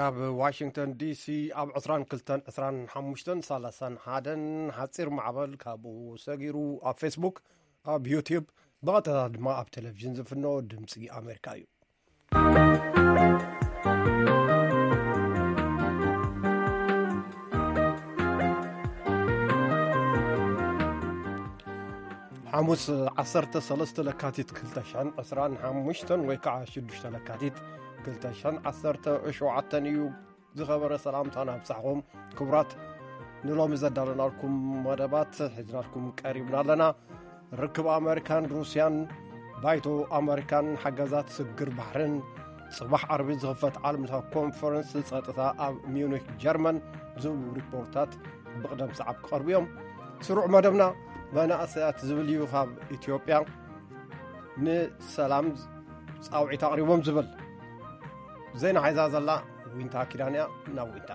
ኣብ ዋሽንግተን ዲሲ ኣብ ዕስራን ክልተን፣ ዕስራን ሓሙሽተን፣ ሰላሳን ሓደን ሓጺር ማዕበል፣ ካብኡ ሰጊሩ ኣብ ፌስቡክ፣ ኣብ ዩቲዩብ፣ ብቐጥታ ድማ ኣብ ቴሌቪዥን ዝፍኖ ድምጺ ኣሜሪካ እዩ። ሓሙስ ዓሰርተ ሰለስተ ለካቲት ክልተ ሽሕን ዕስራን ሓሙሽተን ወይ ከዓ ሽዱሽተ ለካቲት ክልተ ሽሕን ዓሰርተ ሸውዓተን እዩ። ዝኸበረ ሰላምታና ኣብጻሕኹም። ክቡራት፣ ንሎሚ ዘዳለናልኩም መደባት ሒዝናልኩም ቀሪብና ኣለና። ርክብ ኣመሪካን ሩስያን፣ ባይቶ ኣመሪካን ሓገዛት ስግር ባሕርን፣ ጽባሕ ዓርቢ ዝኽፈት ዓለምለኸ ኮንፈረንስ ጸጥታ ኣብ ሚዩኒክ ጀርመን ዝብሉ ሪፖርታት ብቕደም ሰዓብ ክቐርቡ እዮም። ስሩዕ መደብና መናእሰያት ዝብል እዩ። ካብ ኢትዮጵያ ንሰላም ጻውዒት ኣቕሪቦም ዝብል ዜና ሒዛ ዘላ ዊንታ ኪዳን እያ። ናብ ዊንታ።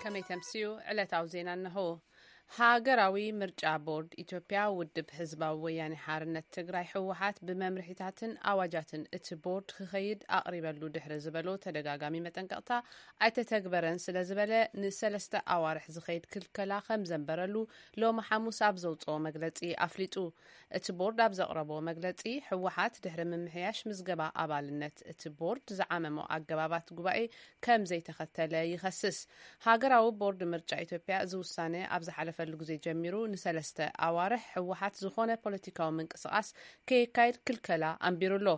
ከመይ ተምስዩ? ዕለታዊ ዜና እነሆ። ሃገራዊ ምርጫ ቦርድ ኢትዮጵያ፣ ውድብ ህዝባዊ ወያኔ ሓርነት ትግራይ ህወሓት ብመምርሒታትን ኣዋጃትን እቲ ቦርድ ክኸይድ ኣቕሪበሉ ድሕሪ ዝበሎ ተደጋጋሚ መጠንቀቕታ ኣይተተግበረን ስለ ዝበለ፣ ንሰለስተ ኣዋርሕ ዝኸይድ ክልከላ ከም ዘንበረሉ ሎሚ ሓሙስ ኣብ ዘውፅኦ መግለፂ ኣፍሊጡ። እቲ ቦርድ ኣብ ዘቕረቦ መግለፂ፣ ህወሓት ድሕሪ ምምሕያሽ ምዝገባ ኣባልነት እቲ ቦርድ ዝዓመሞ ኣገባባት ጉባኤ ከም ዘይተኸተለ ይኸስስ። ሃገራዊ ቦርድ ምርጫ ኢትዮጵያ እዚ ውሳነ ኣብ ዝሓለፈሉ ግዜ ጀሚሩ ንሰለስተ ኣዋርሕ ህወሓት ዝኾነ ፖለቲካዊ ምንቅስቓስ ከየካይድ ክልከላ ኣንቢሩ ኣሎ።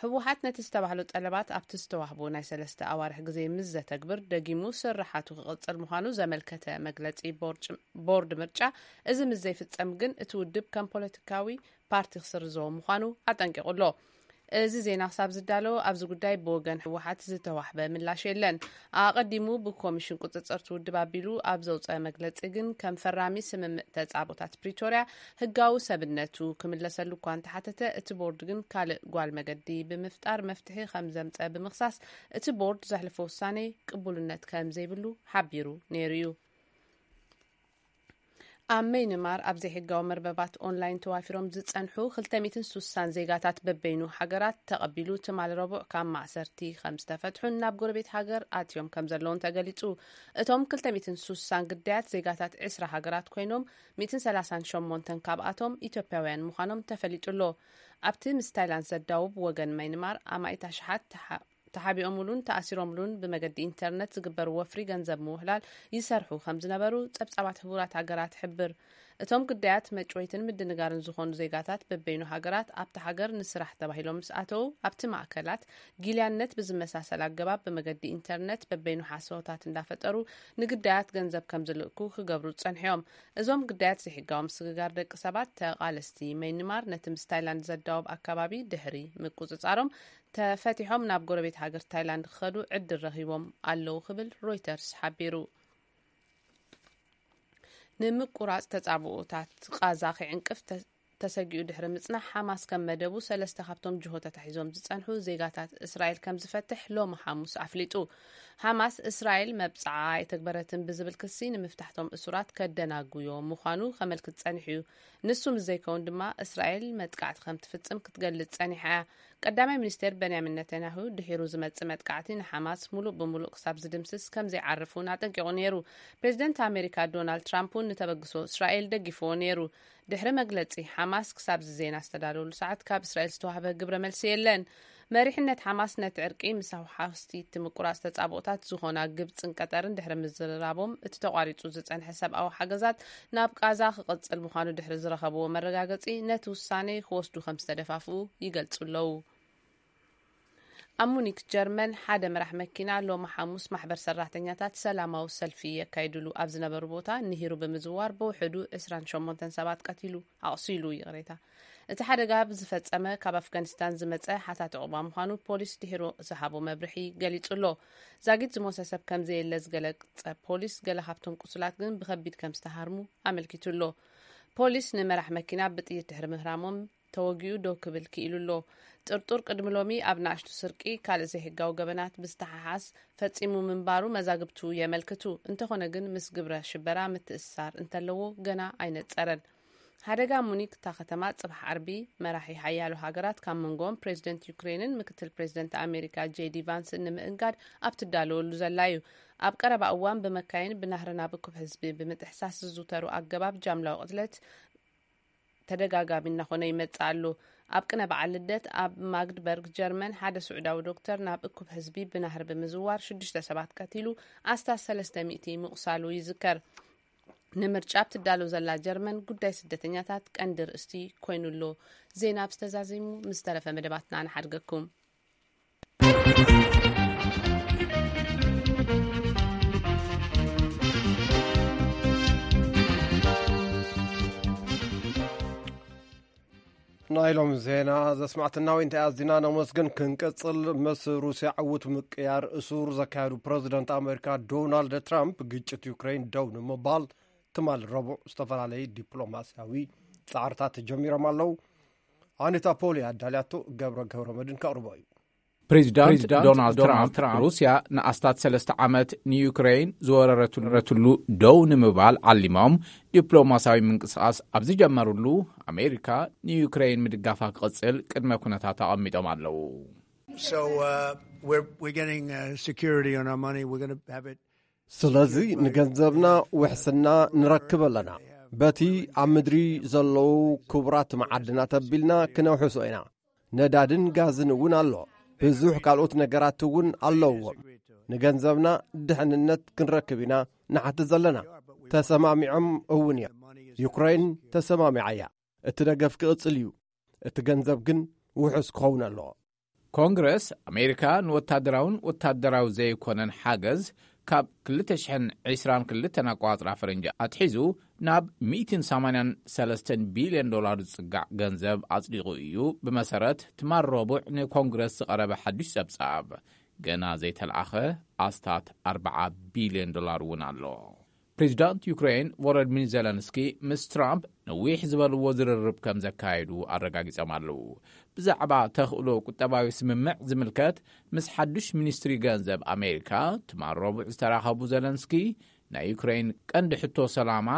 ህወሓት ነቲ ዝተባህሎ ጠለባት ኣብቲ ዝተዋህቦ ናይ ሰለስተ ኣዋርሕ ግዜ ምስ ዘተግብር፣ ደጊሙ ስርሓቱ ክቕጽል ምዃኑ ዘመልከተ መግለጺ ቦርጭ-፣ ቦርድ ምርጫ፣ እዚ ምስ ዘይፍጸም ግን እቲ ውድብ ከም ፖለቲካዊ ፓርቲ ክስርዞ ምዃኑ ኣጠንቂቑ ኣሎ። እዚ ዜና ክሳብ ዝዳሎ ኣብዚ ጉዳይ ብወገን ህወሓት ዝተዋህበ ምላሽ የለን። ኣቐዲሙ ብኮሚሽን ቁጽጽር እቲ ውድብ ኣቢሉ ኣብ ዘውፀአ መግለጺ ግን፣ ከም ፈራሚ ስምምዕ ተጻብኦታት ፕሪቶርያ ህጋዊ ሰብነቱ ክምለሰሉ እኳ እንተሓተተ፣ እቲ ቦርድ ግን ካልእ ጓል መገዲ ብምፍጣር መፍትሒ ከም ዘምፀ ብምኽሳስ፣ እቲ ቦርድ ዘሕልፎ ውሳኔ ቅቡልነት ከም ዘይብሉ ሓቢሩ ነይሩ እዩ። ኣብ መይንማር ኣብ ዘይሕጋዊ መርበባት ኦንላይን ተዋፊሮም ዝጸንሑ ክልተ ሚእትን ሱሳን ዜጋታት በበይኑ ሃገራት ተቐቢሉ፣ ትማሊ ረቡዕ ካብ ማእሰርቲ ከም ዝተፈትሑን ናብ ጎረቤት ሃገር ኣትዮም ከም ዘለውን ተገሊጹ። እቶም ክልተ ሚእትን ሱሳን ግዳያት ዜጋታት ዕስራ ሃገራት ኮይኖም፣ ሚእትን ሰላሳን ሸሞንተን ካብኣቶም ኢትዮጵያውያን ምዃኖም ተፈሊጡ ኣሎ። ኣብቲ ምስ ታይላንድ ዘዳውብ ወገን መይንማር ኣማኢት ኣሽሓት ተሓ-፣ ተሓቢኦምሉን ተኣሲሮምሉን ብመገዲ ኢንተርነት ዝግበር ወፍሪ ገንዘብ ምውህላል ይሰርሑ ከም ዝነበሩ ጸብጻባት ሕቡራት ሃገራት ይሕብር። እቶም ግዳያት መጭወይትን ምድንጋርን ዝኾኑ ዜጋታት በበይኑ ሃገራት ኣብታ ሃገር ንስራሕ ተባሂሎም ምስ ኣተዉ፣ ኣብቲ ማእከላት ጊልያነት ብዝመሳሰል ኣገባብ ብመገዲ ኢንተርነት በበይኑ ሓሰወታት እንዳፈጠሩ ንግዳያት ገንዘብ ከም ዝልእኩ ክገብሩ ጸንሑ እዮም። እዞም ግዳያት ዘይሕጋዊ ምስግጋር ደቂ ሰባት፣ ተቓለስቲ መይንማር ነቲ ምስ ታይላንድ ዘዳወብ ኣከባቢ ድሕሪ ምቁጽጻሮም፣ ተፈቲሖም ናብ ጎረቤት ሃገር ታይላንድ ክኸዱ ዕድል ረኺቦም ኣለዉ ክብል ሮይተርስ ሓቢሩ። ንምቁራጽ ተጻብኦታት ቓዛ ክዕንቅፍ ተ-፣ ተሰጊኡ ድሕሪ ምጽናሕ፣ ሓማስ ከም መደቡ ሰለስተ ካብቶም ጅሆ ተታሒዞም ዝጸንሑ ዜጋታት እስራኤል ከም ዝፈትሕ ሎሚ ሓሙስ ኣፍሊጡ። ሓማስ፣ እስራኤል መብጽዓ ኣይተግበረትን ብዝብል ክሲ ንምፍታሕቶም እሱራት ከደናጉዮ ምዃኑ ከመልክት ጸኒሑ እዩ። ንሱ ምስ ዘይከውን ድማ፣ እስራኤል መጥቃዕቲ ከም ትፍጽም ክትገልጽ ጸኒሓ እያ። ቀዳማይ ሚኒስቴር በንያሚን ነተንያሁ፣ ድሒሩ ዝመጽእ መጥቃዕቲ ንሓማስ ሙሉእ ብሙሉእ ክሳብ ዝድምስስ ከም ዘይዓርፍ እውን ኣጠንቂቑ ነይሩ። ፕሬዚደንት ኣሜሪካ ዶናልድ ትራምፕ እውን ንተበግሶ እስራኤል ደጊፍዎ ነይሩ። ድሕሪ መግለጺ ሓማስ ክሳብ እዚ ዜና ዝተዳለወሉ ሰዓት፣ ካብ እስራኤል ዝተዋህበ ግብረ መልሲ የለን። መሪሕነት ሓማስ ነቲ ዕርቂ ምስ ሃውሓስቲ እቲ ምቁራጽ ተጻብኦታት ዝኾና ግብጽን ቀጠርን ድሕሪ ምዝርራቦም፣ እቲ ተቋሪጹ ዝጸንሐ ሰብኣዊ ሓገዛት ናብ ቃዛ ክቕጽል ምዃኑ ድሕሪ ዝረኸብዎ መረጋገጺ፣ ነቲ ውሳኔ ክወስዱ ከም ዝተደፋፍኡ ይገልጹ ኣለዉ። ኣብ ሙኒክ ጀርመን፣ ሓደ መራሕ መኪና ሎሚ ሓሙስ ማሕበር ሰራሕተኛታት ሰላማዊ ሰልፊ የካይድሉ ኣብ ዝነበሩ ቦታ ንሂሩ ብምዝዋር ብውሕዱ ዕስራን ሸሞንተን ሰባት ቀቲሉ፣ ኣቑሲሉ፣ ይቕሬታ። እቲ ሓደጋ ብዝፈጸመ ካብ ኣፍጋኒስታን ዝመጸ ሓታቲ ዑቕባ ምዃኑ ፖሊስ ድሒሩ ዝሃቦ መብርሒ ገሊጹ ኣሎ። ዛጊት ዝሞተ ሰብ ከም ዘየለ ዝገለጸ ፖሊስ፣ ገለ ካብቶም ቁሱላት ግን ብኸቢድ ከም ዝተሃርሙ ኣመልኪቱ ኣሎ። ፖሊስ ንመራሕ መኪና ብጥይት ድሕሪ ምህራሞም፣ ተወጊኡ ደው ክብል ክኢሉ ኣሎ። ጥርጡር ቅድሚ ሎሚ ኣብ ንኣሽቱ ስርቂ ካልእ ዘይሕጋዊ ገበናት ብዝተሓሓዝ ፈጺሙ ምንባሩ መዛግብቱ የመልክቱ። እንተኾነ ግን፣ ምስ ግብረ ሽበራ ምትእስሳር እንተለዎ ገና ኣይነጸረን። ሓደጋ ሙኒክ እታ ከተማ ጽባሕ ዓርቢ መራሒ ሓያሎ ሃገራት፣ ካብ መንጎኦም ፕሬዚደንት ዩክሬንን ምክትል ፕሬዚደንት ኣሜሪካ ጄዲ ቫንስን ንምእንጋድ ኣብ ትዳለወሉ ዘላ እዩ። ኣብ ቀረባ እዋን ብመካይን ብናህሪ ናብ እኩብ ህዝቢ ብምጥሕሳስ ዝዝውተሩ ኣገባብ ጃምላዊ ቅትለት ተደጋጋሚ እናኾነ ይመጽእ ኣሎ። ኣብ ቅነ በዓል ልደት ኣብ ማግድበርግ ጀርመን ሓደ ስዑዳዊ ዶክተር ናብ እኩብ ህዝቢ ብናህሪ ብምዝዋር ሽዱሽተ ሰባት ቀቲሉ፣ ኣስታት ሰለስተ ሚእቲ ምቑሳሉ ይዝከር። ንምርጫ ኣብ ትዳሎ ዘላ ጀርመን ጉዳይ ስደተኛታት ቀንዲ ርእስቲ ኮይኑ ኣሎ። ዜና ኣብ ዝተዛዚሙ ምስ ተረፈ መደባትና ንሓድገኩም። ናይ ሎም ዜና ዘስማዕትና ወይ እንታይ ኣዝና ነመስግን። ክንቀጽል፣ ምስ ሩስያ ዕውት ምቅያር እሱር ዘካየዱ ፕረዚደንት ኣሜሪካ ዶናልድ ትራምፕ፣ ግጭት ዩክሬን ደው ንምባል ትማል ረቡዕ ዝተፈላለዩ ዲፕሎማስያዊ ጻዕርታት ተጀሚሮም ኣለዉ። ኣኒታ ፖሊ ኣዳልያቶ፣ ገብረ ገብረ መድን ከቕርቦ እዩ። ፕሬዚዳንት ፕሬዚዳንት ዶናልድ ዶናልድ ትራምፕ ትራምፕ ሩስያ ንኣስታት ሰለስተ ዓመት ንዩክሬን ዝወረረትሉ ደው ንምባል ዓሊሞም ዲፕሎማስያዊ ምንቅስቃስ ኣብ ዝጀመሩሉ፣ ኣሜሪካ ንዩክሬን ምድጋፋ ክቕጽል ቅድመ ኩነታት ኣቐሚጦም ኣለዉ። So uh, we're we're getting uh, security on our money. We're going to have it. ስለዚ ንገንዘብና ውሕስና ንረክብ ኣለና። በቲ ኣብ ምድሪ ዘለዉ ክቡራት መዓድናት ኣቢልና ክነውሕሶ ኢና። ነዳድን ጋዝን እውን ኣሎ። ብዙሕ ካልኦት ነገራት እውን ኣለውዎም። ንገንዘብና ድሕንነት ክንረክብ ኢና ንሓትት ዘለና። ተሰማሚዖም እውን እዮም። ዩክሬን ተሰማሚዓ እያ። እቲ ደገፍ ክቕጽል እዩ። እቲ ገንዘብ ግን ውሑስ ክኸውን ኣለዎ። ኮንግረስ ኣሜሪካ ንወታደራውን ወታደራዊ ዘይኮነን ሓገዝ ካብ ክልተ ሽሕን ዕስራን ክልተን ኣቋጽራ ፈረንጂ ኣትሒዙ ናብ ሚእትን ሰማንያን ሰለስተን ቢልዮን ዶላር ዝጽጋዕ ገንዘብ ኣጽዲቑ እዩ። ብመሰረት ትማል ረቡዕ ንኮንግረስ ዝቐረበ ሓድሽ ጸብጻብ፣ ገና ዘይተለኣኸ ኣስታት ኣርብዓ ቢልዮን ዶላር እውን ኣሎ። ፕሬዚዳንት ዩክሬን ቮሎዲሚር ዜለንስኪ ምስ ትራምፕ ነዊሕ ዝበልዎ ዝርርብ ከም ዘካየዱ ኣረጋጊጾም ኣለዉ። ብዛዕባ ተኽእሎ ቁጠባዊ ስምምዕ ዝምልከት ምስ ሓዱሽ ሚኒስትሪ ገንዘብ ኣሜሪካ ትማል ረቡዕ ዝተራኸቡ ዜለንስኪ፣ ናይ ዩክሬን ቀንዲ ሕቶ ሰላማ፣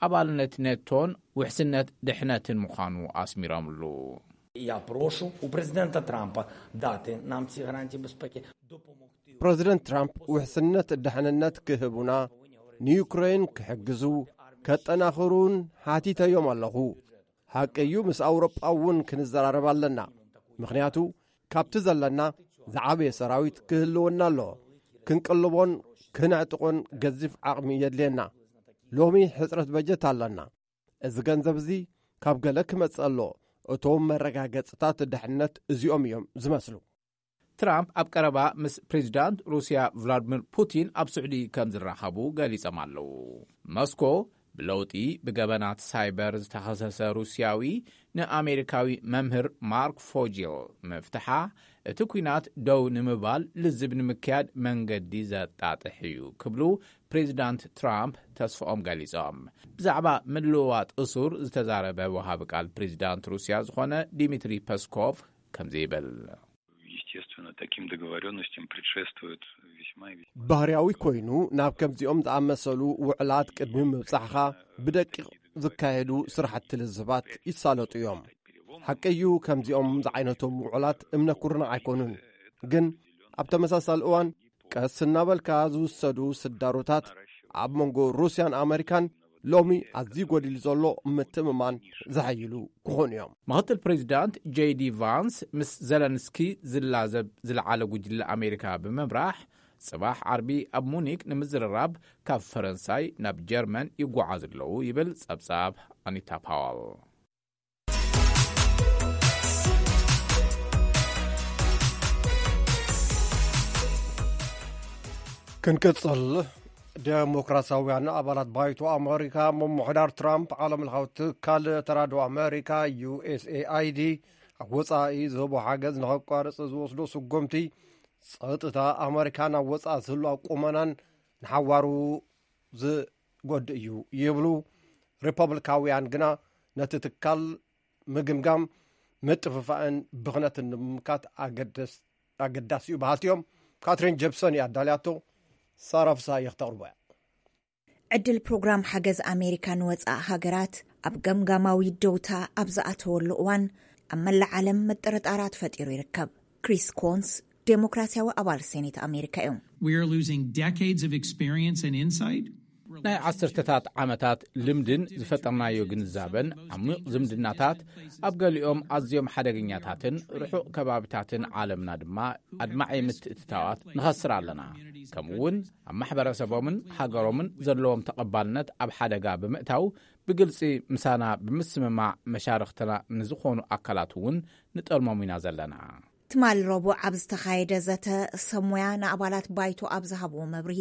ኣባልነት ኔቶን ውሕስነት ድሕነትን ምዃኑ ኣስሚሮምሉ። Я прошу у президента Трампа дати нам ці гарантії безпеки, допомогти. ፕረዚደንት ትራምፕ ውሕስነት ድሕንነት ክህቡና፣ ንዩክሬን ክሕግዙ፣ ከጠናኽሩን ሓቲተዮም ኣለኹ። ሓቂ እዩ፣ ምስ ኣውሮጳ እውን ክንዘራረብ ኣለና። ምኽንያቱ ካብቲ ዘለና ዝዓበየ ሰራዊት ክህልወና ኣለዎ። ክንቅልቦን ክነዕጥቆን ገዚፍ ዓቕሚ የድልየና። ሎሚ ሕጽረት በጀት ኣለና። እዚ ገንዘብ እዚ ካብ ገለ ክመጽእ ኣለዎ። እቶም መረጋገጽታት ድሕነት እዚኦም እዮም ዝመስሉ። ትራምፕ ኣብ ቀረባ ምስ ፕሬዚዳንት ሩስያ ቭላድሚር ፑቲን ኣብ ስዑዲ ከም ዝራኸቡ ገሊጾም ኣለዉ። ሞስኮ ብለውጢ ብገበናት ሳይበር ዝተኸሰሰ ሩስያዊ ንኣሜሪካዊ መምህር ማርክ ፎጂል ምፍትሓ፣ እቲ ኲናት ደው ንምባል ልዝብ ንምክያድ መንገዲ ዘጣጥሕ እዩ ክብሉ ፕሬዚዳንት ትራምፕ ተስፍኦም ገሊጾም። ብዛዕባ ምልውዋጥ እሱር ዝተዛረበ ወሃቢ ቃል ፕሬዚዳንት ሩስያ ዝኾነ ዲሚትሪ ፐስኮቭ ከምዚ ይብል። Естественно, таким договорённостям предшествует весьма и весьма ባህርያዊ ኮይኑ ናብ ከምዚኦም ዝኣመሰሉ ውዕላት ቅድሚ ምብጻሕኻ ብደቂቕ ዝካየዱ ስራሕቲ ልዝባት ይሳለጡ እዮም። ሓቂ እዩ፣ ከምዚኦም ዝዓይነቶም ውዕላት እምነ ኩርናዕ ኣይኮኑን። ግን ኣብ ተመሳሳሊ እዋን ቀስ እናበልካ ዝውሰዱ ስዳሮታት ኣብ መንጎ ሩስያን ኣመሪካን ሎሚ ኣዝዩ ጎዲሉ ዘሎ ምትእምማን ዘሐይሉ ክኾኑ እዮም። ምኽትል ፕሬዚዳንት ጄዲ ቫንስ ምስ ዘለንስኪ ዝላዘብ ዝለዓለ ጉጅለ ኣሜሪካ ብምምራሕ፣ ጽባሕ ዓርቢ ኣብ ሙኒክ ንምዝርራብ ካብ ፈረንሳይ ናብ ጀርመን ይጓዓዙ ኣለዉ ይብል ጸብጻብ ኣኒታ ፓወል። ክንቅጽል፣ ደሞክራሲያውያን ኣባላት ባይቶ ኣመሪካ ምምሕዳር ትራምፕ ዓለም ለኻዊ ትካል ተራድኦ ኣመሪካ፣ ዩ ኤስ ኤ ኣይ ዲ፣ ኣብ ወጻኢ ዝህቦ ሓገዝ ንኸቋርጽ ዝወስዶ ስጎምቲ፣ ጸጥታ ኣመሪካ ናብ ወጻኢ ዝህሉ ኣቁመናን ንሓዋሩ ዝጎድእ እዩ ይብሉ። ሪፐብሊካውያን ግና ነቲ ትካል ምግምጋም፣ ምጥፍፋእን ብኽነትን ንምምካት ኣገደስ-፣ ኣገዳሲ እዩ በሃልቲ እዮም። ካትሪን ጀፕሰን እያ ኣዳልያቶ፣ ሳራ ፍስሃየ ክተቕርቦ እያ። ዕድል ፕሮግራም ሓገዝ ኣሜሪካ ንወጻኢ ሃገራት ኣብ ገምጋማዊ ደውታ ኣብ ዝኣተወሉ እዋን፣ ኣብ መላእ ዓለም ምጥርጣራት ፈጢሩ ይርከብ። ክሪስ ኮንስ ዴሞክራሲያዊ ኣባል ሴኔት ኣሜሪካ እዮም። We are losing decades of experience and insight. ናይ ዓሰርተታት ዓመታት ልምድን ዝፈጠርናዮ ግንዛበን፣ ዓሚቕ ዝምድናታት፣ ኣብ ገሊኦም ኣዝዮም ሓደገኛታትን ርሑቕ ከባብታትን ዓለምና ድማ ኣድማዒ ምትእትታዋት ንኸስር ኣለና። ከምኡውን ኣብ ማሕበረሰቦምን ሃገሮምን ዘለዎም ተቐባልነት ኣብ ሓደጋ ብምእታው፣ ብግልጺ ምሳና ብምስምማዕ መሻርኽትና ንዝኾኑ ኣካላት እውን ንጠልሞም ኢና ዘለና። ትማሊ ረቡዕ ኣብ ዝተኻየደ ዘተ፣ ሰብ ሞያ ንኣባላት ባይቶ ኣብ ዝሃብዎ መብርሂ፣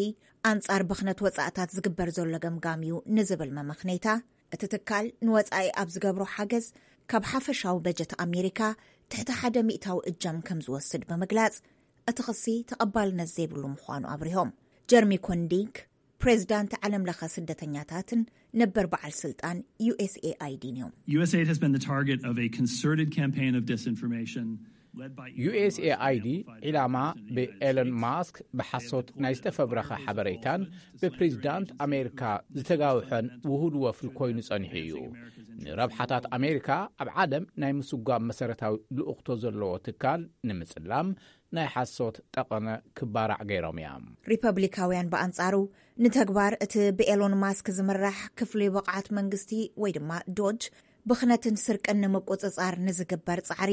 ኣንጻር ብኽነት ወጻእታት ዝግበር ዘሎ ገምጋም እዩ ንዝብል መመኽነይታ፣ እቲ ትካል ንወጻኢ ኣብ ዝገብሮ ሓገዝ ካብ ሓፈሻዊ በጀት ኣሜሪካ ትሕቲ ሓደ ሚእታዊ እጃም ከም ዝወስድ ብምግላጽ፣ እቲ ክሲ ተቐባልነት ዘይብሉ ምዃኑ ኣብሪሆም። ጀርሚ ኮንዲንክ፣ ፕሬዚዳንት ዓለም ለኸ ስደተኛታትን ነበር በዓል ስልጣን ዩ ኤስ ኤ ኣይ ዲን እዮም። U S A I D has been the target of a concerted campaign of disinformation. ዩ ኤስ ኤ ኣይ ዲ ዒላማ ብኤለን ማስክ ብሓሶት ናይ ዝተፈብረኸ ሓበሬታን ብፕሬዚዳንት ኣሜሪካ ዝተጋውሐን ውሁድ ወፍሪ ኮይኑ ጸኒሑ እዩ። ንረብሓታት ኣሜሪካ ኣብ ዓለም ናይ ምስጓም መሰረታዊ ልኡኽቶ ዘለዎ ትካል ንምጽላም ናይ ሓሶት ጠቐነ ክባራዕ ገይሮም እዮም። ሪፐብሊካውያን ብኣንጻሩ፣ ንተግባር እቲ ብኤሎን ማስክ ዝምራሕ ክፍሊ ብቕዓት መንግስቲ ወይ ድማ ዶጅ ብኽነትን ስርቅን ንምቁጽጻር ንዝግበር ጻዕሪ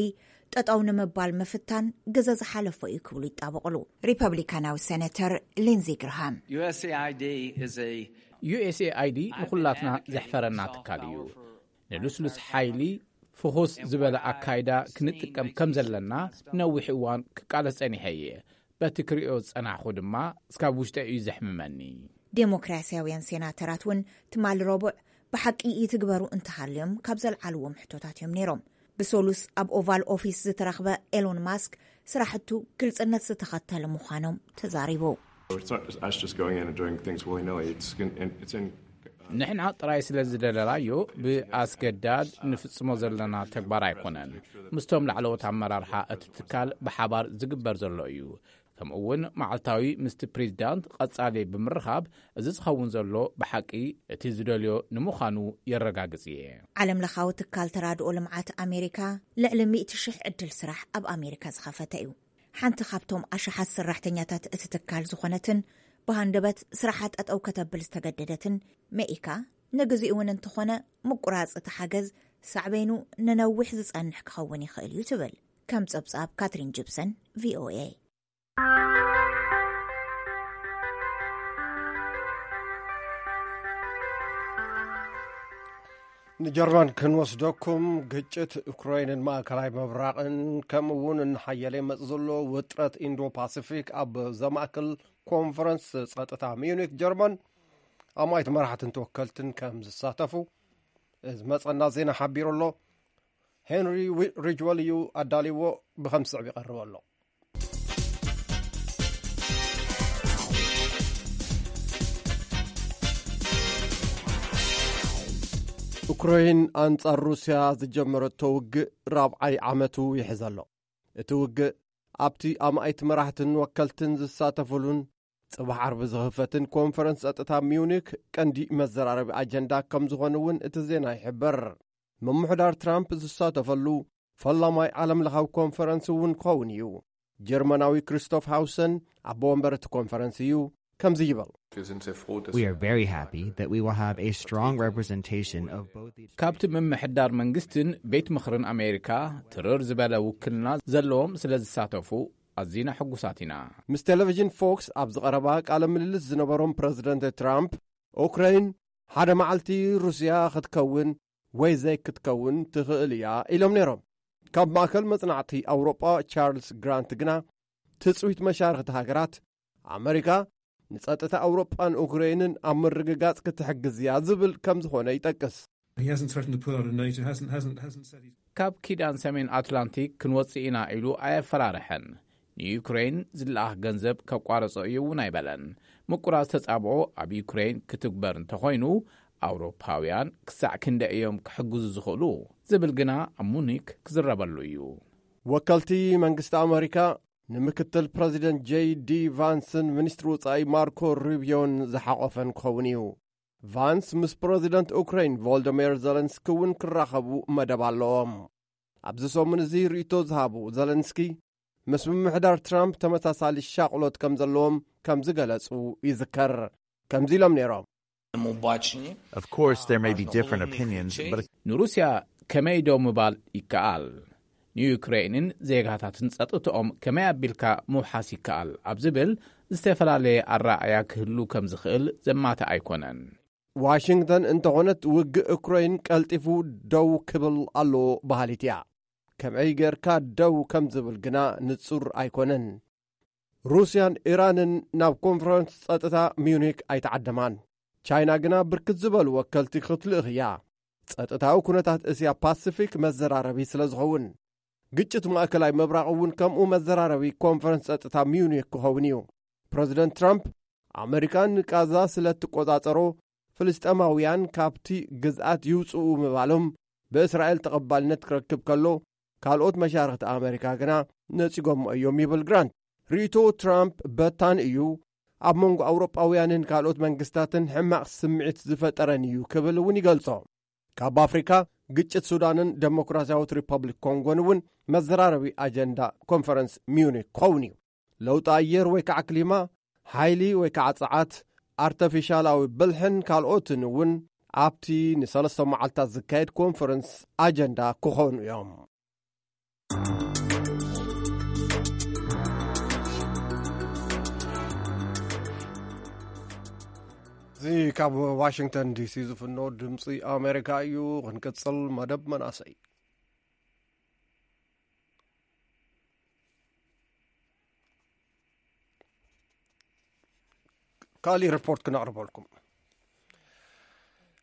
ጠጠው ንምባል ምፍታን ግዘ ዝሓለፎ እዩ ክብሉ ይጣበቕሉ። ሪፐብሊካናዊ ሴኔተር ሊንዚ ግርሃም፣ U S A I D is a ዩ ኤስ ኤ ኣይ ዲ ንኹላትና ዘሕፈረና ትካል እዩ። ንልስሉስ ሓይሊ ፍኹስ ዝበለ ኣካይዳ ክንጥቀም ከም ዘለና ነዊሕ እዋን ክቃለስ ጸኒሐ እየ። በቲ ክሪኦ ዝጸናሕኹ ድማ እስካብ ውሽጠ እዩ ዘሕምመኒ። ዴሞክራሲያውያን ሴናተራት እውን ትማሊ ረቡዕ ብሓቂ ይትግበሩ እንተሃልዮም ካብ ዘልዓልዎም ሕቶታት እዮም ነይሮም። ብሰሉስ ኣብ ኦቫል ኦፊስ ዝተረኽበ ኤሎን ማስክ፣ ስራሕቱ ግልጽነት ዝተኸተለ ምዃኖም ተዛሪቡ። It's not just us just going in and doing things willy nilly. It's in, it's in ንሕና ጥራይ ስለ ዝደለናዮ ብኣስገዳድ ንፍጽሞ ዘለና ተግባር ኣይኮነን። ምስቶም ላዕለዎት ኣመራርሓ እቲ ትካል ብሓባር ዝግበር ዘሎ እዩ። ከምኡ እውን መዓልታዊ ምስቲ ፕሬዚዳንት ቀጻሊ ብምርኻብ፣ እዚ ዝኸውን ዘሎ ብሓቂ እቲ ዝደልዮ ንምዃኑ የረጋግጽ እየ። ዓለም ለኻዊ ትካል ተራድኦ ልምዓት ኣሜሪካ ልዕሊ ሚእቲ ሽሕ ዕድል ስራሕ ኣብ ኣሜሪካ ዝኸፈተ እዩ። ሓንቲ ካብቶም ኣሽሓት ሰራሕተኛታት እቲ ትካል ዝኾነትን ብሃንደበት ስራሓ ጠጠው ከተብል ዝተገደደትን መኢካ፣ ንግዚኡ እውን እንተኾነ ምቁራጽ እቲ ሓገዝ ሳዕቤኑ ንነዊሕ ዝጸንሕ ክኸውን ይኽእል እዩ ትብል። ከም ጸብጻብ ካትሪን ጂፕሰን፣ ቪ ኦ ኤ። ንጀርመን ክንወስደኩም፣ ግጭት ዩክሬንን ማእከላይ ምብራቕን ከምኡ እውን እናሓየለ ይመጽእ ዘሎ ውጥረት ኢንዶ ፓሲፊክ ኣብ ዘማእክል ኮንፈረንስ ጸጥታ ሚዩኒክ ጀርመን ኣማኢት መራሕትን ተወከልትን ከም ዝሳተፉ ዝመጸና ዜና ሓቢሩ ኣሎ። ሄንሪ ሪጅወል እዩ ኣዳልዎ፣ ብኸም ዝስዕብ ይቐርብ ኣሎ። ኡክራይን ኣንጻር ሩስያ ዝጀመረቶ ውግእ ራብዓይ ዓመቱ ይሕዝ ኣሎ። እቲ ውግእ ኣብቲ ኣማኢት መራሕትን ወከልትን ዝሳተፉሉን ጽባሕ ዓርቢ ዝኽፈትን ኮንፈረንስ ጸጥታ ሚዩኒክ ቀንዲ መዘራረቢ ኣጀንዳ ከም ዝኾነ እውን እቲ ዜና ይሕብር። ምምሕዳር ትራምፕ ዝሳተፈሉ ፈላማይ ዓለም ለኻዊ ኮንፈረንስ እውን ክኸውን እዩ። ጀርመናዊ ክሪስቶፍ ሃውሰን ኣቦ ወንበር እቲ ኮንፈረንስ እዩ። ከምዚ ይበል። We are very happy that we will have a strong representation of both the ካብቲ ምምሕዳር መንግስትን ቤት ምኽርን ኣሜሪካ ትርር ዝበለ ውክልና ዘለዎም ስለ ዝሳተፉ ኣዚና ሕጉሳት ኢና። ምስ ቴሌቪዥን ፎክስ ኣብ ዝቐረባ ቃለ ምልልስ ዝነበሮም ፕረዚደንት ትራምፕ፣ ኡክራይን ሓደ መዓልቲ ሩስያ ክትከውን ወይ ዘይክትከውን ትኽእል እያ ኢሎም ነይሮም። ካብ ማእከል መጽናዕቲ ኣውሮጳ ቻርልስ ግራንት ግና፣ ትጽቢት መሻርኽቲ ሃገራት ኣመሪካ ንጸጥታ ኣውሮጳን ኡክራይንን ኣብ ምርግጋጽ ክትሕግዝ እያ ዝብል ከም ዝኾነ ይጠቅስ። He hasn't threatened to pull out of NATO, hasn't, hasn't, hasn't said he's ካብ ኪዳን ሰሜን ኣትላንቲክ ክንወጽእ ኢና ኢሉ ኣየፈራርሐን። ንዩክሬን ዝለኣኽ ገንዘብ ከቋርጾ እዩ እውን ኣይበለን። ምቁራጽ ተጻብኦ ኣብ ዩክሬን ክትግበር እንተኾይኑ፣ ኣውሮፓውያን ክሳዕ ክንደይ እዮም ክሕግዙ ዝኽእሉ ዝብል ግና ኣብ ሙኒክ ክዝረበሉ እዩ። ወከልቲ መንግስቲ ኣመሪካ ንምክትል ፕረዚደንት ጄይ ዲ ቫንስን ሚኒስትሪ ወጻኢ ማርኮ ሩቢዮን ዝሓቖፈን ክኸውን እዩ። ቫንስ ምስ ፕረዚደንት ኡክራይን ቮልደሚር ዘለንስኪ እውን ክራኸቡ መደብ ኣለዎም። ኣብዚ ሰሙን እዚ ርእይቶ ዝሃቡ ዘለንስኪ፣ ምስ ምምሕዳር ትራምፕ ተመሳሳሊ ሻቕሎት ከም ዘለዎም ከም ዝገለጹ ይዝከር። ከምዚ ኢሎም ነይሮም። Of course, there may be different opinions, but ንሩስያ ከመይ ደው ምባል ይከኣል፣ ንዩክሬንን ዜጋታትን ጸጥትኦም ከመይ ኣቢልካ ምውሓስ ይከኣል ኣብ ዝብል ዝተፈላለየ ኣረኣእያ ክህሉ ከም ዝኽእል ዘማትእ ኣይኮነን። ዋሽንግተን እንተኾነት፣ ውግእ ኡክራይን ቀልጢፉ ደው ክብል ኣለዎ በሃሊት እያ። ከመይ ጌርካ ደው ከም ዝብል ግና ንጹር ኣይኮነን። ሩስያን ኢራንን ናብ ኮንፈረንስ ጸጥታ ሚዩኒክ ኣይተዓደማን። ቻይና ግና ብርክት ዝበሉ ወከልቲ ክትልእኽ እያ። ጸጥታዊ ኩነታት እስያ ፓሲፊክ መዘራረቢ ስለ ዝኸውን፣ ግጭት ማእከላይ ምብራቕ እውን ከምኡ መዘራረቢ ኮንፈረንስ ጸጥታ ሚዩኒክ ክኸውን እዩ። ፕረዚደንት ትራምፕ፣ ኣመሪካ ንቃዛ ስለ እትቆጻጸሮ፣ ፍልስጤማውያን ካብቲ ግዝኣት ይውጽኡ ምባሎም ብእስራኤል ተቐባልነት ክረክብ ከሎ፣ ካልኦት መሻርኽቲ ኣመሪካ ግና ነጺጎሞ እዮም ይብል ግራንት። ርእይቶ ትራምፕ በታን እዩ፣ ኣብ መንጎ ኣውሮጳውያንን ካልኦት መንግስታትን ሕማቕ ስምዒት ዝፈጠረን እዩ ክብል እውን ይገልጾ። ካብ ኣፍሪካ፣ ግጭት ሱዳንን ደሞክራሲያዊት ሪፐብሊክ ኮንጎን እውን መዘራረቢ ኣጀንዳ ኮንፈረንስ ሚዩኒክ ክኸውን እዩ። ለውጢ ኣየር ወይ ከዓ ክሊማ፣ ሓይሊ ወይ ከዓ ጸዓት፣ ኣርተፊሻላዊ ብልሕን ካልኦትን እውን ኣብቲ ንሰለስተ መዓልታት ዝካየድ ኮንፈረንስ ኣጀንዳ ክኾኑ እዮም። እዚ ካብ ዋሽንግተን ዲሲ ዝፍኖ ድምፂ ኣሜሪካ እዩ። ክንቅፅል መደብ መናእሰይ። ካሊእ ሪፖርት ክነቕርበልኩም።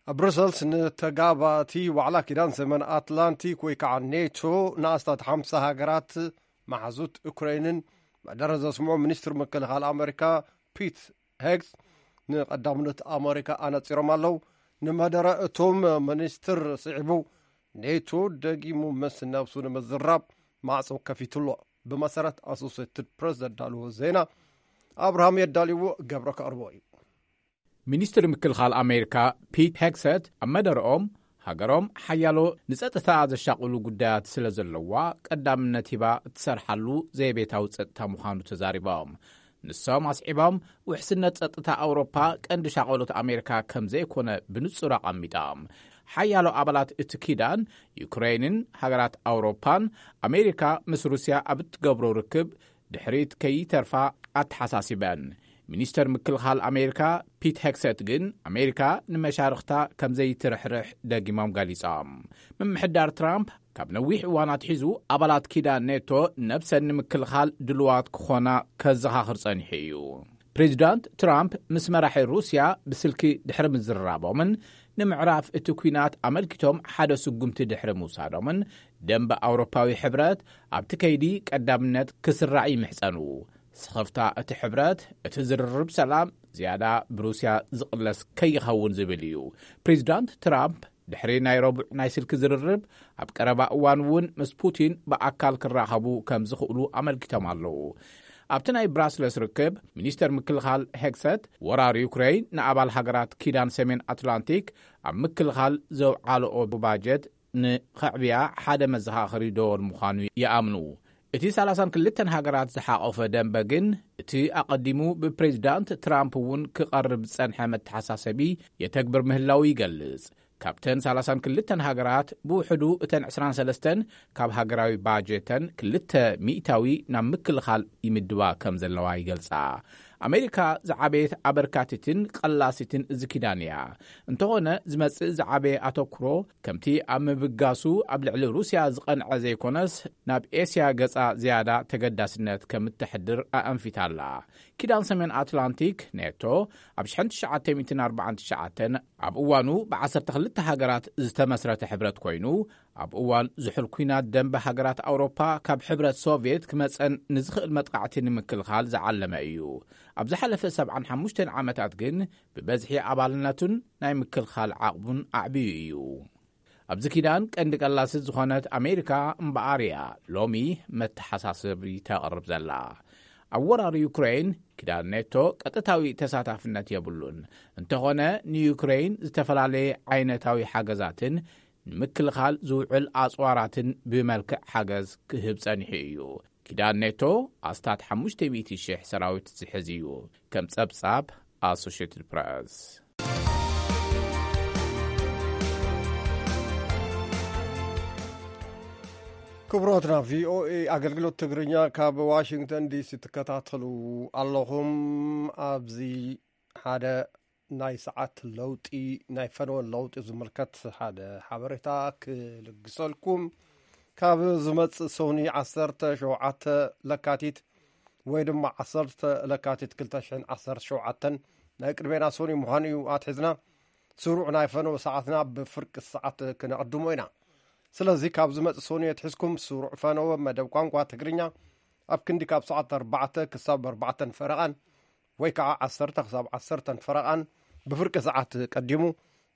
ኣብ ብሩሰልስ ንተጋባቲ ዋዕላ ኪዳን ሰሜን ኣትላንቲክ ወይ ከዓ ኔቶ ንኣስታት ሓምሳ ሃገራት መሓዙት ዩክሬንን መደረ ዘስምዑ ሚኒስትር ምክልኻል ኣሜሪካ ፒት ሄግስ ንቐዳምነት ኣሜሪካ ኣነፂሮም ኣለዉ። ንመደረ እቶም ሚኒስትር ስዒቡ ኔቶ ደጊሙ ምስ ነብሱ ንምዝራብ ማዕጾ ከፊቱ ኣሎ። ብመሰረት ኣሶሴትድ ፕረስ ዘዳልዎ ዜና ኣብርሃም የዳልዎ ገብረ ከቕርቦ እዩ። ሚኒስትር ምክልኻል ኣሜሪካ ፒት ሄግሰት ኣብ መደረኦም ሃገሮም ሓያሎ ንጸጥታ ዘሻቕሉ ጉዳያት ስለ ዘለዋ ቀዳምነት ሂባ እትሰርሓሉ ዘይቤታዊ ጸጥታ ምዃኑ ተዛሪቦም። ንሶም ኣስዒቦም ውሕስነት ጸጥታ ኣውሮፓ ቀንዲ ሻቐሎት ኣሜሪካ ከም ዘይኮነ ብንጹር ኣቐሚጦም። ሓያሎ ኣባላት እቲ ኪዳን ዩክሬንን ሃገራት ኣውሮፓን ኣሜሪካ ምስ ሩስያ ኣብ እትገብሮ ርክብ ድሕሪት ከይተርፋ ኣተሓሳሲበን። ሚኒስተር ምክልኻል ኣሜሪካ ፒት ሄግሰት ግን ኣሜሪካ ንመሻርኽታ ከም ዘይትርሕርሕ ደጊሞም ገሊጾም። ምምሕዳር ትራምፕ ካብ ነዊሕ እዋን ኣትሒዙ ኣባላት ኪዳን ኔቶ ነብሰን ንምክልኻል ድልዋት ክኾና ከዘኻኽር ጸኒሑ እዩ። ፕሬዚዳንት ትራምፕ ምስ መራሒ ሩስያ ብስልኪ ድሕሪ ምዝርራቦምን ንምዕራፍ እቲ ኲናት ኣመልኪቶም ሓደ ስጉምቲ ድሕሪ ምውሳዶምን ደንበ ኣውሮፓዊ ሕብረት ኣብቲ ከይዲ ቀዳምነት ክስራዕ ይምሕጸኑ። ስኽፍታ እቲ ሕብረት እቲ ዝርርብ ሰላም ዝያዳ ብሩስያ ዝቕለስ ከይኸውን ዝብል እዩ። ፕሬዚዳንት ትራምፕ ድሕሪ ናይ ረቡዕ ናይ ስልኪ ዝርርብ ኣብ ቀረባ እዋን እውን ምስ ፑቲን ብኣካል ክራኸቡ ከም ዝኽእሉ ኣመልኪቶም ኣለዉ። ኣብቲ ናይ ብራስለስ ርክብ ሚኒስተር ምክልኻል ሄግሰት ወራር ዩክሬን ንኣባል ሃገራት ኪዳን ሰሜን ኣትላንቲክ ኣብ ምክልኻል ዘውዓልኦ ባጀት ንኸዕብያ ሓደ መዘኻኸሪ ደወል ምዃኑ ይኣምኑ። እቲ ሰላሳን ክልተን ሃገራት ዝሓቖፈ ደንበ ግን እቲ ኣቐዲሙ ብፕሬዚዳንት ትራምፕ እውን ክቐርብ ዝጸንሐ መተሓሳሰቢ የተግብር ምህላው ይገልጽ። ካብተን ሰላሳን ክልተን ሃገራት ብውሕዱ እተን ዕስራን ሰለስተን ካብ ሃገራዊ ባጀተን ክልተ ሚእታዊ ናብ ምክልኻል ይምድባ ከም ዘለዋ ይገልጻ። ኣሜሪካ ዝዓበየት ኣበርካቲትን ቀላሲትን እዚ ኪዳን እያ። እንተኾነ ዝመጽእ ዝዓበየ ኣተኩሮ ከምቲ ኣብ ምብጋሱ ኣብ ልዕሊ ሩስያ ዝቐንዐ ዘይኮነስ ናብ ኤስያ ገጻ ዝያዳ ተገዳስነት ከም እተሕድር ኣኣንፊታ ኣላ። ኪዳን ሰሜን ኣትላንቲክ ኔቶ ኣብ ሽሕን ትሽዓተ ሚእትን ኣርባዓን ትሽዓተን ኣብ እዋኑ ብዓሰርተ ክልተ ሃገራት ዝተመስረተ ሕብረት ኮይኑ ኣብ እዋን ዝሑል ኲናት ደንበ ሃገራት ኣውሮፓ ካብ ሕብረት ሶቭየት ክመጸን ንዝኽእል መጥቃዕቲ ንምክልኻል ዝዓለመ እዩ። ኣብ ዝሓለፈ ሰብዓን ሓሙሽተን ዓመታት ግን ብበዝሒ ኣባልነቱን ናይ ምክልኻል ዓቕሙን ኣዕብዩ እዩ። ኣብዚ ኪዳን ቀንዲ ቀላሲት ዝኾነት ኣሜሪካ እምበኣር እያ ሎሚ መተሓሳሰቢ ተቕርብ ዘላ። ኣብ ወራር ዩክሬን ኪዳን ኔቶ ቀጥታዊ ተሳታፍነት የብሉን። እንተኾነ ንዩክሬን ዝተፈላለየ ዓይነታዊ ሓገዛትን ንምክልኻል ዝውዕል ኣጽዋራትን ብመልክዕ ሓገዝ ክህብ ጸኒሑ እዩ። ኪዳን ኔቶ ኣስታት ሓሙሽተ ሚእቲ ሽሕ ሰራዊት ዝሕዝ እዩ፣ ከም ጸብጻብ ኣሶሽትድ ፕረስ። ክቡራትና፣ ቪኦኤ ኣገልግሎት ትግርኛ ካብ ዋሽንግተን ዲሲ ትከታተሉ ኣለኹም። ኣብዚ ሓደ ናይ ሰዓት ለውጢ፣ ናይ ፈነወ ለውጢ ዝምልከት ሓደ ሓበሬታ ክልግሰልኩም። ካብ ዝመጽእ ሰኑይ ዓሰርተ ሸውዓተ ለካቲት ወይ ድማ ዓሰርተ ለካቲት ክልተ ሽሕን ዓሰርተ ሸውዓተን ናይ ቅድሜና ሰኑይ ምዃኑ እዩ ኣትሒዝና። ስሩዕ ናይ ፈነወ ሰዓትና ብፍርቂ ሰዓት ክነቕድሞ ኢና። ስለዚ ካብ ዝመጽእ ሰኑይ ኣትሒዝኩም ስሩዕ ፈነወ መደብ ቋንቋ ትግርኛ ኣብ ክንዲ ካብ ሰዓት ኣርባዕተ ክሳብ ኣርባዕተን ፈረቓን ወይ ከዓ ዓሰርተ ክሳብ ዓሰርተን ፈረቓን ብፍርቂ ሰዓት ቀዲሙ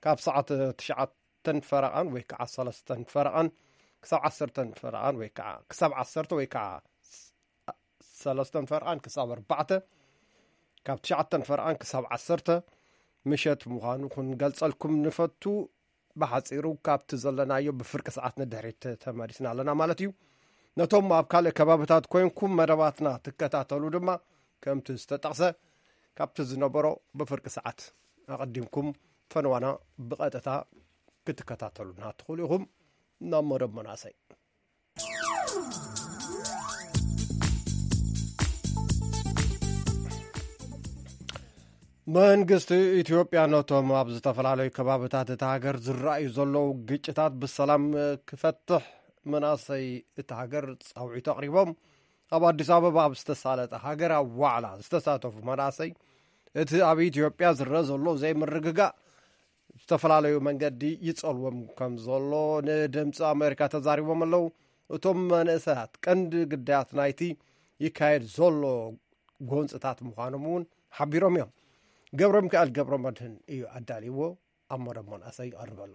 ካብ ሰዓት ትሽዓተን ፈረቓን ወይ ከዓ ሰለስተን ፈረቓን ክሳብ ዓሰርተን ፈረቓን ወይ ከዓ ክሳብ ዓሰርተ ወይ ከዓ ሰለስተን ፈርቓን ክሳብ ኣርባዕተ፣ ካብ ትሽዓተን ፈርቓን ክሳብ ዓሰርተ ምሸት ምዃኑ ክንገልጸልኩም ንፈቱ። ብሓጺሩ ካብቲ ዘለናዮ ብፍርቂ ሰዓት ንድሕሪት ተመሊስና ኣለና ማለት እዩ። ነቶም ኣብ ካልእ ከባብታት ኮይንኩም መደባትና ትከታተሉ ድማ ከምቲ ዝተጠቕሰ ካብቲ ዝነበሮ ብፍርቂ ሰዓት ኣቐዲምኩም ፈነዋና ብቐጥታ ክትከታተሉና ትኽእሉ ኢኹም። ናብ መደብ መናእሰይ። መንግስቲ ኢትዮጵያ ነቶም ኣብ ዝተፈላለዩ ከባብታት እታ ሃገር ዝረኣዩ ዘለዉ ግጭታት ብሰላም ክፈትሕ መናእሰይ እታ ሃገር ጻውዒት ኣቕሪቦም። ኣብ ኣዲስ ኣበባ ኣብ ዝተሳለጠ ሃገራዊ ዋዕላ ዝተሳተፉ መናእሰይ፣ እቲ ኣብ ኢትዮጵያ ዝረአ ዘሎ ዘይምርግጋእ ብዝተፈላለዩ መንገዲ ይጸልዎም ከም ዘሎ ንድምፂ ኣሜሪካ ተዛሪቦም ኣለዉ። እቶም መንእሰያት ቀንዲ ግዳያት ናይቲ ይካየድ ዘሎ ጎንፅታት ምዃኖም እውን ሓቢሮም እዮም። ገብረ ሚካኤል ገብረ መድህን እዩ ኣዳልይዎ፣ ኣብ መደብ መናእሰይ ይቐርብ ኣሎ።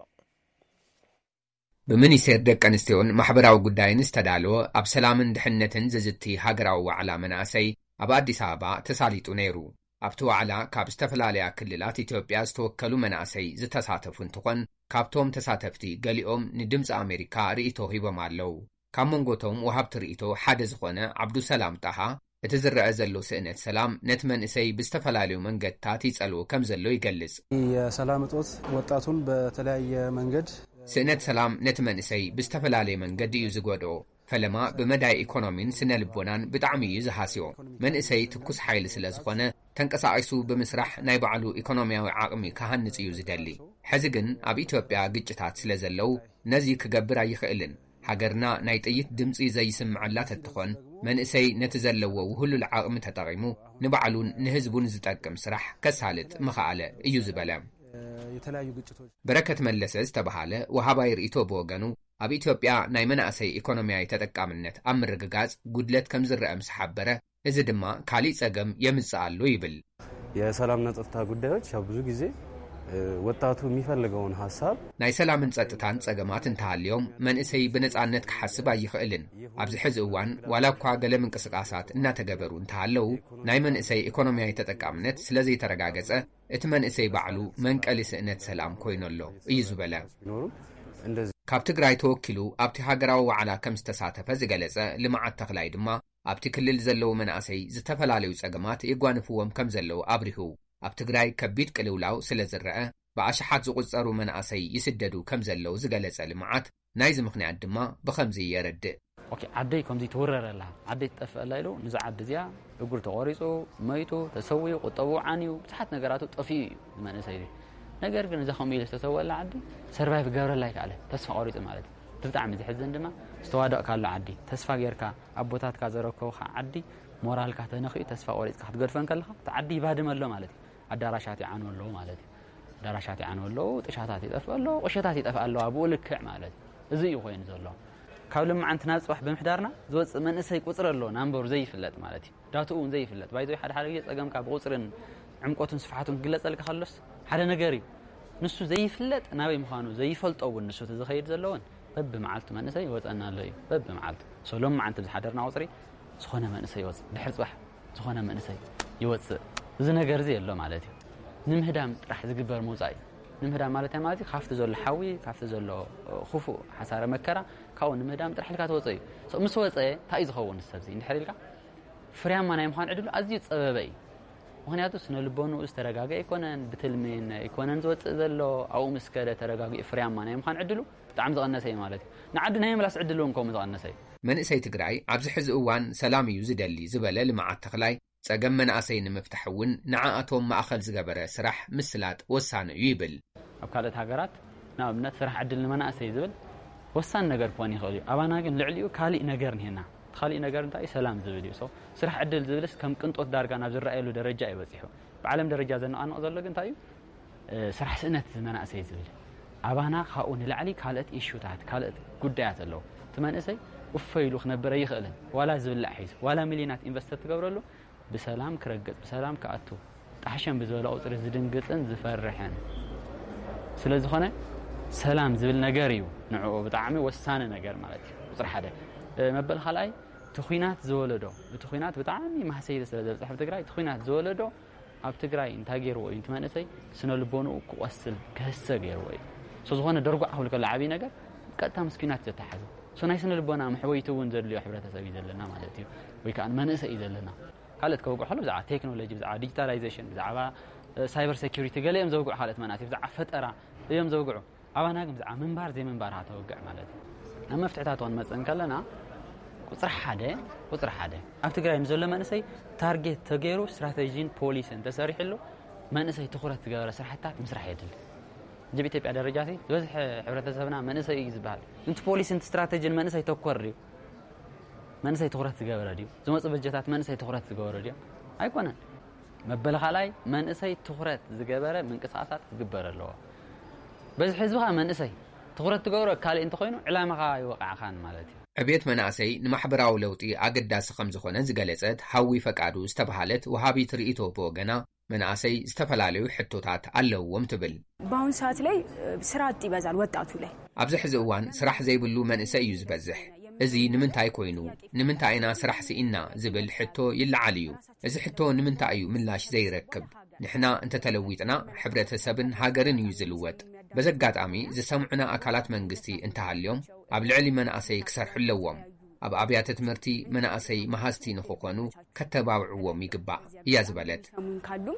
ብሚኒስቴር ደቂ ኣንስትዮን ማሕበራዊ ጉዳይን ዝተዳለወ ኣብ ሰላምን ድሕነትን ዝዝቲ ሃገራዊ ዋዕላ መናእሰይ ኣብ ኣዲስ ኣበባ ተሳሊጡ ነይሩ። ኣብቲ ዋዕላ ካብ ዝተፈላለያ ክልላት ኢትዮጵያ ዝተወከሉ መናእሰይ ዝተሳተፉ እንትኾን፣ ካብቶም ተሳተፍቲ ገሊኦም ንድምፂ ኣሜሪካ ርእይቶ ሂቦም ኣለዉ። ካብ መንጎቶም ወሃብቲ ርእይቶ ሓደ ዝኾነ ዓብዱሰላም ጣሃ፣ እቲ ዝረአ ዘሎ ስእነት ሰላም ነቲ መንእሰይ ብዝተፈላለዩ መንገድታት ይጸልዎ ከም ዘሎ ይገልጽ። የሰላም እጦት ወጣቱን በተለያየ መንገድ ስእነት ሰላም ነቲ መንእሰይ ብዝተፈላለየ መንገዲ እዩ ዝጎድኦ። ፈለማ ብመዳይ ኢኮኖሚን ስነ ልቦናን ብጣዕሚ እዩ ዝሃስዮ። መንእሰይ ትኩስ ሓይሊ ስለ ዝኾነ፣ ተንቀሳቒሱ ብምስራሕ ናይ ባዕሉ ኢኮኖሚያዊ ዓቕሚ ክሃንጽ እዩ ዝደሊ። ሕዚ ግን ኣብ ኢትዮጵያ ግጭታት ስለ ዘለዉ፣ ነዚ ክገብር ኣይኽእልን። ሃገርና ናይ ጥይት ድምጺ ዘይስምዐላ ተትኾን፣ መንእሰይ ነቲ ዘለዎ ውህሉል ዓቕሚ ተጠቒሙ ንባዕሉን ንህዝቡን ዝጠቅም ስራሕ ከሳልጥ ምኸኣለ እዩ ዝበለ። የተለያዩ ግጭቶች በረከት መለሰ ዝተባሃለ ወሃባይ ርእይቶ ብወገኑ፣ ኣብ ኢትዮጵያ ናይ መናእሰይ ኢኮኖሚያዊ ተጠቃምነት ኣብ ምርግጋጽ ጉድለት ከም ዝረአ ምስ ሓበረ፣ እዚ ድማ ካሊእ ጸገም የምጽእ ኣሎ ይብል። የሰላምና ጸጥታ ጉዳዮች ያው ብዙ ጊዜ ወጣቱ የሚፈልገውን ሀሳብ ናይ ሰላምን ጸጥታን ጸገማት እንተሃልዮም፣ መንእሰይ ብነጻነት ክሓስብ ኣይኽእልን። ኣብዚ ሕዚ እዋን ዋላ እኳ ገለ ምንቅስቃሳት እናተገበሩ እንተሃለዉ፣ ናይ መንእሰይ ኢኮኖሚያዊ ተጠቃምነት ስለ ዘይተረጋገጸ፣ እቲ መንእሰይ ባዕሉ መንቀሊ ስእነት ሰላም ኮይኑ ኣሎ እዩ ዝበለ። ቢኖሩም እንደዚህ ካብ ትግራይ ተወኪሉ ኣብቲ ሃገራዊ ዋዕላ ከም ዝተሳተፈ ዝገለጸ ልምዓት ተኽላይ ድማ፣ ኣብቲ ክልል ዘለዉ መናእሰይ ዝተፈላለዩ ጸገማት የጓንፍዎም ከም ዘለዉ ኣብሪሁ። ኣብ ትግራይ ከቢድ ቅልውላው ስለ ዝረአ፣ ብኣሽሓት ዝቑጸሩ መናእሰይ ይስደዱ ከም ዘለዉ ዝገለጸ ልምዓት፣ ናይዚ ምኽንያት ድማ ብኸምዚ የረድእ። ኦኬ፣ ዓደይ ከምዚ ትውረር ኣላ፣ ዓደይ ትጠፍእ ኣላ ኢሉ፣ ንዛ ዓዲ እዚኣ እግሩ ተቖሪጹ፣ መይቱ፣ ተሰዊኡ፣ ቁጠብኡ ዓንዩ፣ ብዙሓት ነገራቱ ጠፊኡ እዩ፣ እዚ መንእሰይ እዚ። ነገር ግን እዛ ከምኡ ኢሉ ዝተሰወላ ዓዲ ሰርቫይቭ ገብረላ ኣይከኣለ፣ ተስፋ ቆሪጹ ማለት እዩ። እቲ ብጣዕሚ ዝሕዝን ድማ፣ ዝተዋደቕካሉ ዓዲ፣ ተስፋ ጌርካ፣ ኣቦታትካ ዘረከቡኻ ዓዲ፣ ሞራልካ ተነኺኡ፣ ተስፋ ቆሪጽካ ክትገድፎ እንከለኻ፣ እቲ ዓዲ ይባድም ኣሎ ማለት እዩ። ኣዳራሻት ይዓኑ ኣለዉ ማለት እዩ። ኣዳራሻት ይዓኑ ኣለዉ፣ ጥሻታት ይጠፍእ ኣለዉ፣ ቁሸታት ይጠፍእ ኣለዋ፣ ብኡ ልክዕ ማለት እዩ። እዚ እዩ ኮይኑ ዘሎ። ካብ ልምዓንቲ ናብ ጽባሕ ብምሕዳርና ዝወጽእ መንእሰይ ቁጽሪ ኣሎ፣ ናምበሩ ዘይፍለጥ ማለት እዩ። ዳትኡ እውን ዘይፍለጥ። ባይዘይ ሓደ ሓደ ግዜ ጸገምካ ብቁጽርን ዕምቆቱን ስፍሓቱን ክግለጸልካ ከሎስ ሓደ ነገር እዩ። ንሱ ዘይፍለጥ ናበይ ምዃኑ ዘይፈልጦ እውን ንሱ እቲ ዝኸይድ ዘሎ እውን በብመዓልቱ መንእሰይ ይወጸና ኣሎ እዩ። በብመዓልቱ። ሶ ሎም መዓልቲ ብዝሓደርና ቁጽሪ ዝኾነ መንእሰይ ይወጽእ። ድሕሪ ጽባሕ ዝኾነ መንእሰይ ይወፅእ። እዚ ነገር እዚ የሎ ማለት እዩ። ንምህዳም ጥራሕ ዝግበር ምውፃእ እዩ። ንምህዳም ማለት እንታይ ማለት እዩ? ካብቲ ዘሎ ሓዊ፣ ካብቲ ዘሎ ክፉእ ሓሳረ መከራ፣ ካብኡ ንምህዳም ጥራሕ ኢልካ ትወፅእ እዩ። So፣ ምስ ወፀ እንታይ እዩ ዝኸውን? ሰብዚ እንድሕር ኢልካ ፍርያማ ናይ ምዃን ዕድሉ ኣዝዩ ፀበበ እዩ። ምኽንያቱ ስነ ልቦንኡ ዝተረጋገ ኣይኮነን፣ ብትልሚ ኣይኮነን ዝወፅእ ዘሎ። ኣብኡ ምስ ከደ ተረጋጊኡ ፍርያማ ናይ ምዃን ዕድሉ ብጣዕሚ ዝቐነሰ እዩ ማለት እዩ። ንዓዱ ናይ ምምላስ ዕድሉ እውን ከምኡ ዝቐነሰ እዩ። መንእሰይ ትግራይ ኣብዚ ሕዚ እዋን ሰላም እዩ ዝደሊ ዝበለ ልምዓት ተኽላይ፣ ፀገም መናእሰይ ንምፍታሕ እውን ንዓኣቶም ማእኸል ዝገበረ ስራሕ ምስላጥ ወሳኒ እዩ ይብል። ኣብ ካልኦት ሃገራት ንኣብነት ስራሕ ዕድል ንመናእሰይ ዝብል ወሳኒ ነገር ክኾን ይኽእል እዩ። ኣባና ግን ልዕሊኡ ካሊእ ነገር እኒሀና። እቲ ካሊእ ነገር እንታይ እዩ? ሰላም ዝብል እዩ። So፣ ስራሕ ዕድል ዝብልስ ከም ቅንጦት ዳርጋ ናብ ዝረኣየሉ ደረጃ እዩ በፂሑ። ብዓለም ደረጃ ዘነቓንቕ ዘሎ ግን እንታይ እዩ? እ፣ ስራሕ ስእነት መናእሰይ ዝብል። ኣባና ካብኡ ንላዕሊ ካልኦት ኢሹታት፣ ካልኦት ጉዳያት ኣለዉ። እቲ መንእሰይ እፎ ኢሉ ክነብር ኣይኽእልን። ዋላ ዝብላዕ ሒዙ፣ ዋላ ሚልዮናት ኢንቨስት ትገብረሉ፣ ብሰላም ክረግፅ፣ ብሰላም ክኣቱ፣ ጣሕሸም ብዝበለ ቁፅሪ ዝድንግፅን ዝፈርሕን ስለ ዝኾነ፣ ሰላም ዝብል ነገር እዩ ንዕኡ ብጣዕሚ ወሳኒ ነገር ማለት እዩ። ቁፅሪ ሓደ። እ፣ መበል ካልኣይ፣ እቲ ኲናት ዝወለዶ፣ እቲ ኲናት ብጣዕሚ ማህሰይቲ ስለ ዘብፅሕ ኣብ ትግራይ፣ እቲ ኲናት ዝወለዶ ኣብ ትግራይ እንታይ ገይርዎ እዩ? እቲ መንእሰይ ስነ ልቦንኡ ክቆስል፣ ክህሰ ገይርዎ እዩ። So፣ ዝኾነ ደርጓዕ ክብል ከሎ ዓብዪ ነገር ቀጥታ ምስ ኲናት ዘተሓዘ። So፣ ናይ ስነ ልቦና መሕወይቲ እውን ዘድልዮ ሕብረተሰብ እዩ ዘለና ማለት እዩ። ወይ ከዓ መንእሰይ እዩ ዘለና። ካልኦት ከውግዑ ከሎ ብዛዕባ ቴክኖሎጂ፣ ብዛዕባ ዲጂታላይዜሽን፣ ብዛዕባ፣ እ፣ ሳይበር ሴኩሪቲ ገለ እዮም ዘውግዑ። ካልኦት መናእሰይ ብዛዕባ ፈጠራ እዮም ዘውግዑ። ኣባና ግን ብዛዕባ ምንባር ዘይምንባር ተወግዕ ማለት እዩ። ኣብ መፍትሕታት ክንመጽእ እንከለና ቁጽሪ ሓደ፣ ቁጽሪ ሓደ ኣብ ትግራይ ንዘሎ መንእሰይ ታርጌት ተገይሩ ስትራተጂን ፖሊስን ተሰሪሕሉ መንእሰይ ትኹረት ዝገበረ ስራሕትታት ምስራሕ የድሊ። ሕጂ ብኢትዮጵያ ደረጃ ሲ ዝበዝሐ ሕብረተሰብና መንእሰይ እዩ ዝበሃል። እንቲ ፖሊሲ እንቲ ስትራተጂን መንእሰይ ተኮር ድዩ? መንእሰይ ትኹረት ዝገበረ ድዩ? ዝመፁ በጀታት መንእሰይ ትኹረት ዝገበረ ድዩ? ኣይኮነን። መበል ካልኣይ መንእሰይ ትኹረት ዝገበረ ምንቅስቃሳት ክግበር ኣለዎ። በዚ ህዝብኻ መንእሰይ ትኹረት ትገብሮ ካልእ እንተኾይኑ ዕላማኻ ይወቃዕኻን ማለት እዩ። ዕብየት መናእሰይ ንማሕበራዊ ለውጢ ኣገዳሲ ከም ዝኾነ ዝገለጸት ሃዊ ፈቃዱ ዝተባሃለት ወሃቢት ርእይቶ ብወገና፣ መናእሰይ ዝተፈላለዩ ሕቶታት ኣለውዎም ትብል። በአሁን ሰዓት ላይ ስራ አጥ ይበዛል ወጣቱ ላይ። ኣብዚ ሕዚ እዋን ስራሕ ዘይብሉ መንእሰይ እዩ ዝበዝሕ። እዚ ንምንታይ ኮይኑ፣ ንምንታይ ኢና ስራሕ ስኢና ዝብል ሕቶ ይለዓል እዩ። እዚ ሕቶ ንምንታይ እዩ ምላሽ ዘይረክብ? ንሕና እንተተለዊጥና ሕብረተሰብን ሃገርን እዩ ዝልወጥ። በዚ ኣጋጣሚ ዝሰምዑና ኣካላት መንግስቲ እንተሃልዮም ኣብ ልዕሊ መናእሰይ ክሰርሑ ኣለዎም። ኣብ ኣብያተ ትምህርቲ መናእሰይ መሃዝቲ ንኽኾኑ ከተባብዕዎም ይግባእ እያ ዝበለት። ሰሙን ካሉም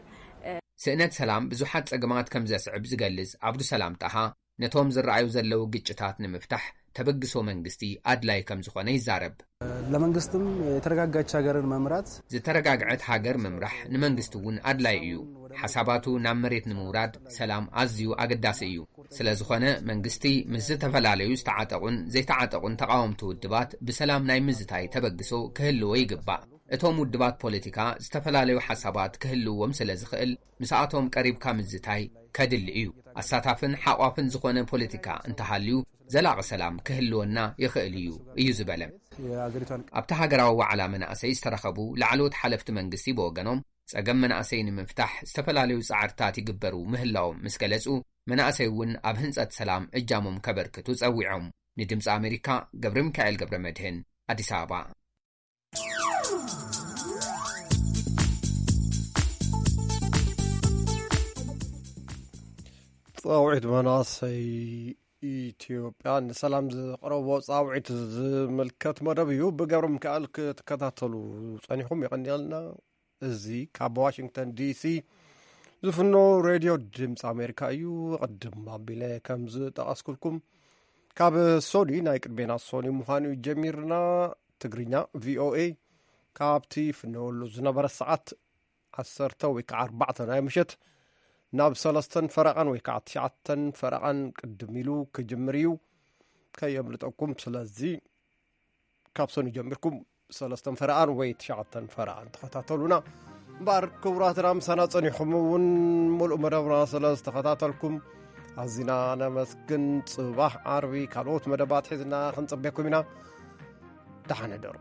ስእነት ሰላም ብዙሓት ጸገማት ከም ዘስዕብ ዝገልጽ ዓብዱሰላም ጣሃ፣ ነቶም ዝረኣዩ ዘለዉ ግጭታት ንምፍታሕ ተበግሶ መንግስቲ ኣድላይ ከም ዝኾነ ይዛረብ። ለመንግስትም የተረጋጋች ሀገርን መምራት ዝተረጋግዐት ሃገር ምምራሕ ንመንግስቲ እውን ኣድላይ እዩ። ሓሳባቱ ናብ መሬት ንምውራድ ሰላም ኣዝዩ ኣገዳሲ እዩ። ስለ ዝኾነ መንግስቲ ምስ ዝተፈላለዩ ዝተዓጠቑን ዘይተዓጠቑን ተቓወምቲ ውድባት ብሰላም ናይ ምዝታይ ተበግሶ ክህልዎ ይግባእ። እቶም ውድባት ፖለቲካ ዝተፈላለዩ ሓሳባት ክህልዎም ስለ ዝኽእል ምስኣቶም ቀሪብካ ምዝታይ ከድሊ እዩ። ኣሳታፍን ሓቋፍን ዝኾነ ፖለቲካ እንተሃልዩ ዘላቒ ሰላም ክህልወና ይኽእል እዩ እዩ ዝበለ። ኣብቲ ሃገራዊ ዋዕላ መናእሰይ ዝተረኸቡ ላዕለዎት ሓለፍቲ መንግስቲ ብወገኖም ጸገም መናእሰይ ንምፍታሕ ዝተፈላለዩ ጻዕርታት ይግበሩ ምህላዎም ምስ ገለጹ፣ መናእሰይ እውን ኣብ ህንጸት ሰላም እጃሞም ከበርክቱ ጸዊዖም። ንድምፂ ኣሜሪካ ገብረ ሚካኤል ገብረ መድህን ኣዲስ ኣበባ። ፃውዒት መናእሰይ ኢትዮጵያ ንሰላም ዝቕረቦ ፃውዒት ዝምልከት መደብ እዩ። ብገብረ ሚካኤል ክትከታተሉ ፀኒኹም የቐንየልና። እዚ ካብ ዋሽንግተን ዲሲ ዝፍኖ ሬድዮ ድምፂ ኣሜሪካ እዩ። ቅድም ኣቢለ ከም ዝጠቐስኩልኩም ካብ ሶኒ ናይ ቅድሜና ሶኒ ምዃኑ እዩ ጀሚርና። ትግርኛ ቪኦኤ ካብቲ ፍነወሉ ዝነበረ ሰዓት ዓሰርተ ወይ ከዓ ኣርባዕተ ናይ ምሸት ናብ ሰለስተን ፈረቓን ወይ ከዓ ትሽዓተን ፈረቓን ቅድም ኢሉ ክጅምር እዩ። ከየምልጠኩም። ስለዚ ካብ ሶኒ ጀሚርኩም ሰለስተን ፈረቓን ወይ ትሽዓተን ፈረቓን ተኸታተሉና። እምበኣር ክቡራትና ምሳና ጸኒኹም እውን ሙሉእ መደብና ስለ ዝተኸታተልኩም ኣዚና ነመስግን። ጽባሕ ዓርቢ ካልኦት መደባት ሒዝና ክንጽበኩም ኢና። ደሓን ሕደሩ።